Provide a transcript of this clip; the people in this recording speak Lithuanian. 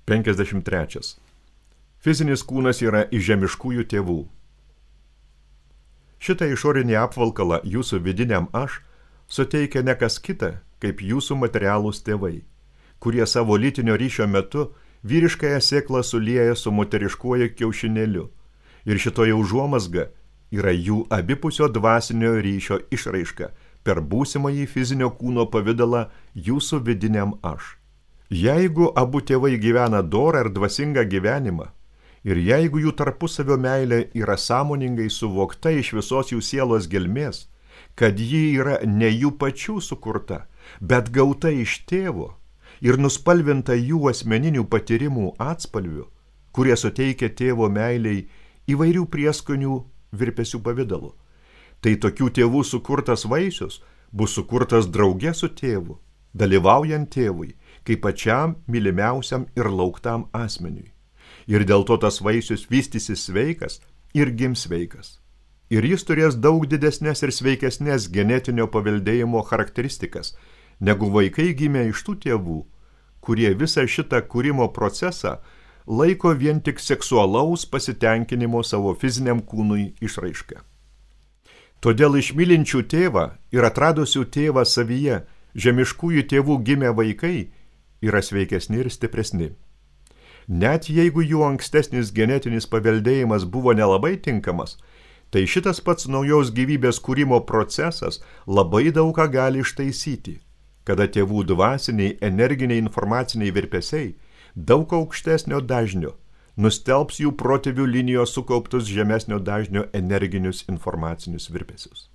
53. Fizinis kūnas yra iš žemiškųjų tėvų. Šitą išorinį apvalkalą jūsų vidiniam aš suteikia ne kas kita, kaip jūsų materialūs tėvai, kurie savo lytinio ryšio metu vyriškąją sėklą sulieja su moteriškuoju kiaušinėliu. Ir šitoje užuomazga yra jų abipusio dvasinio ryšio išraiška per būsimąjį fizinio kūno pavidalą jūsų vidiniam aš. Jeigu abu tėvai gyvena dorą ir dvasingą gyvenimą, ir jeigu jų tarpusavio meilė yra sąmoningai suvokta iš visos jų sielos gelmės, kad ji yra ne jų pačių sukurta, bet gauta iš tėvo ir nuspalvinta jų asmeninių patyrimų atspalvių, kurie suteikia tėvo meiliai įvairių prieskonių virpesių pavidalu, tai tokių tėvų sukurtas vaisius bus sukurtas drauge su tėvu, dalyvaujant tėvui, kaip pačiam mylimiausiam ir lauktam asmeniui. Ir dėl to tas vaisius vystysis sveikas ir gims sveikas. Ir jis turės daug didesnės ir sveikesnės genetinio paveldėjimo charakteristikas, negu vaikai gimė iš tų tėvų, kurie visą šitą kūrimo procesą laiko vien tik seksualaus pasitenkinimo savo fiziniam kūnui išraišką. Todėl iš mylinčių tėvą ir atradusių tėvą savyje žemiškųjų tėvų gimę vaikai yra sveikesni ir stipresni. Net jeigu jų ankstesnis genetinis paveldėjimas buvo nelabai tinkamas, tai šitas pats naujos gyvybės kūrimo procesas labai daug ką gali ištaisyti, kada tėvų dvasiniai, energiniai, informaciniai virpesiai daug aukštesnio dažnio nustelbs jų protėvių linijos sukauptus žemesnio dažnio energinius informacinius virpesius.